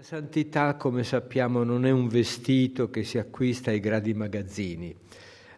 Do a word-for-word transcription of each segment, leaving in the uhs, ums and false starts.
Santità, come sappiamo, non è un vestito che si acquista ai grandi magazzini.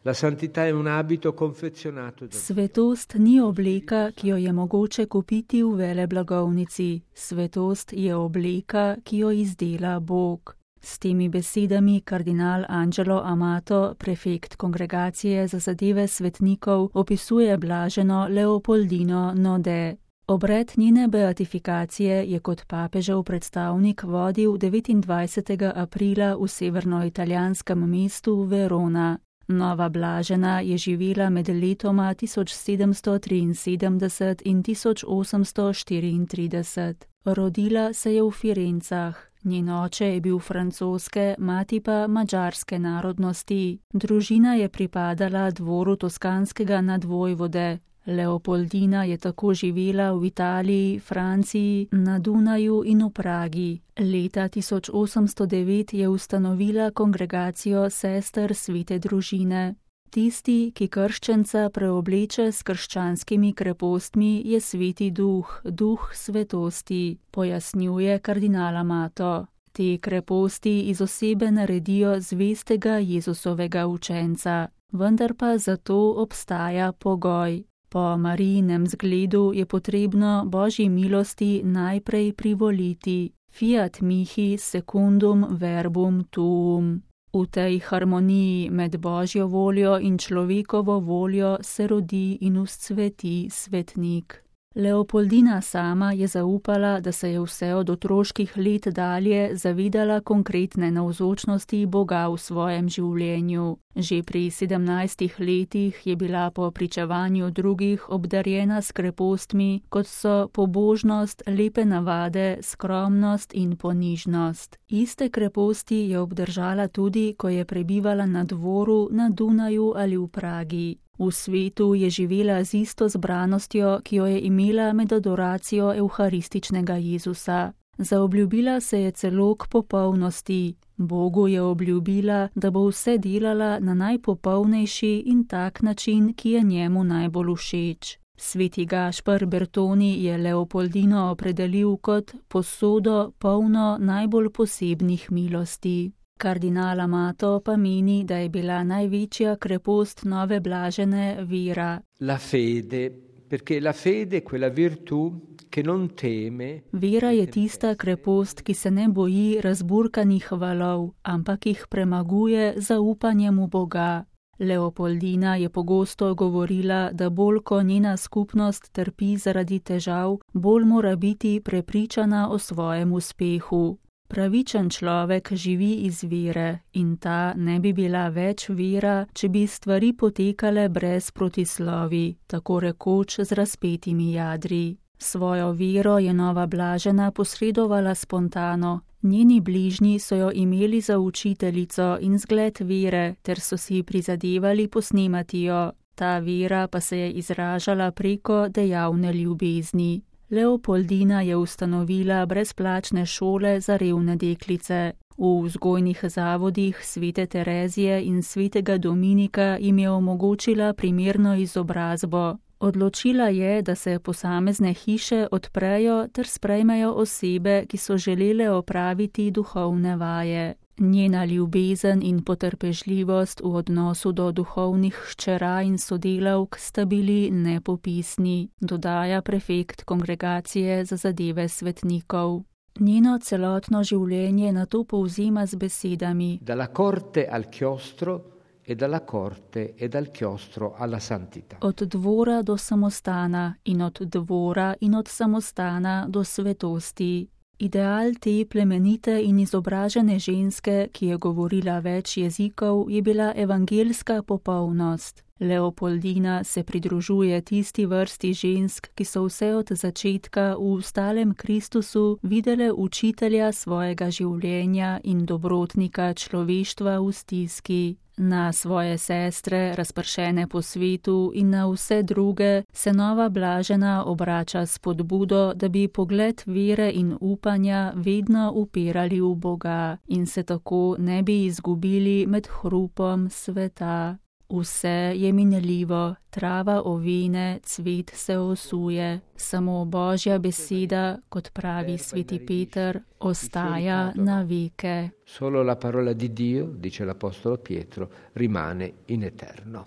La santità è un abito confezionato da Dio. Svetost ni obleka, ki jo je mogoče kupiti v veleblagovnici. Svetost je obleka, ki jo izdela Bog. S temi besedami kardinal Angelo Amato, prefekt Kongregacije za zadeve svetnikov, opisuje blaženo Leopoldino Node. Obred njene beatifikacije je kot papežev predstavnik vodil devetindvajsetega aprila v severnoitalijanskem mestu Verona. Nova blažena je živela med letoma tisoč sedemsto triinsedemdeset in tisoč osemsto štiriintrideset. Rodila se je v Firencah. Njen oče je bil francoske, mati pa madžarske narodnosti. Družina je pripadala dvoru toskanskega nadvojvode. Leopoldina je tako živela v Italiji, Franciji, na Dunaju in v Pragi. Leta tisoč osemsto devet je ustanovila kongregacijo sester svete družine. Tisti, ki krščenca preobleče s krščanskimi krepostmi, je sveti duh, duh svetosti, pojasnjuje kardinal Amato. Te kreposti iz osebe naredijo zvestega Jezusovega učenca, vendar pa zato obstaja pogoj. Po Marijinem zgledu je potrebno Božji milosti najprej privoliti. Fiat mihi secundum verbum tuum. V tej harmoniji med Božjo voljo in človekovo voljo se rodi in vzcveti svetnik. Leopoldina sama je zaupala, da se je vse od otroških let dalje zavedala konkretne navzočnosti Boga v svojem življenju. Že pri sedemnajstih letih je bila po pričevanju drugih obdarjena s krepostmi, kot so pobožnost, lepe navade, skromnost in ponižnost. Iste kreposti je obdržala tudi, ko je prebivala na dvoru, na Dunaju ali v Pragi. V svetu je živela z isto zbranostjo, ki jo je imela med adoracijo evharističnega Jezusa. Zaobljubila se je celo k popolnosti. Bogu je obljubila, da bo vse delala na najpopolnejši in tak način, ki je njemu najbolj všeč. Sveti Gašper Bertoni je Leopoldino opredelil kot posodo polno najbolj posebnih milosti. Kardinal Amato pa meni, da je bila največja krepost nove blažene vera. La fede, perché la fede è quella virtù che non teme. Vera je tista krepost, ki se ne boji razburkanih valov, ampak jih premaguje zaupanjem v Boga. Leopoldina je pogosto govorila, da bolj ko njena skupnost trpi zaradi težav, bolj mora biti prepričana o svojem uspehu. Pravičen človek živi iz vere in ta ne bi bila več vera, če bi stvari potekale brez protislovi, tako rekoč z razpetimi jadri. Svojo vero je nova blažena posredovala spontano. Njeni bližnji so jo imeli za učiteljico in zgled vere, ter so si prizadevali posnemati jo. Ta vera pa se je izražala preko dejavne ljubezni. Leopoldina je ustanovila brezplačne šole za revne deklice. V vzgojnih zavodih svete Terezije in svetega Dominika jim je omogočila primerno izobrazbo. Odločila je, da se posamezne hiše odprejo ter sprejmejo osebe, ki so želele opraviti duhovne vaje. Njena ljubezen in potrpežljivost v odnosu do duhovnih hčera in sodelavk sta bili nepopisni, dodaja prefekt Kongregacije za zadeve svetnikov. Njeno celotno življenje nato povzema z besedami: Dalla corte al chiostro e dalla corte e dal chiostro alla santità. Od dvora do samostana in od dvora in od samostana do svetosti. Ideal te plemenite in izobražene ženske, ki je govorila več jezikov, je bila evangelska popolnost. Leopoldina se pridružuje tisti vrsti žensk, ki so vse od začetka v stalem Kristusu videle učitelja svojega življenja in dobrotnika človeštva v stiski. Na svoje sestre, razpršene po svetu, in na vse druge se nova blažena obrača s spodbudo, da bi pogled vere in upanja vedno upirali v Boga in se tako ne bi izgubili med hrupom sveta. Vse je minljivo, trava ovine, cvet se osuje, samo Božja beseda, kot pravi sveti Peter, ostaja na veke. Solo la parola di Dio, dice l'Apostolo Pietro, rimane in eterno.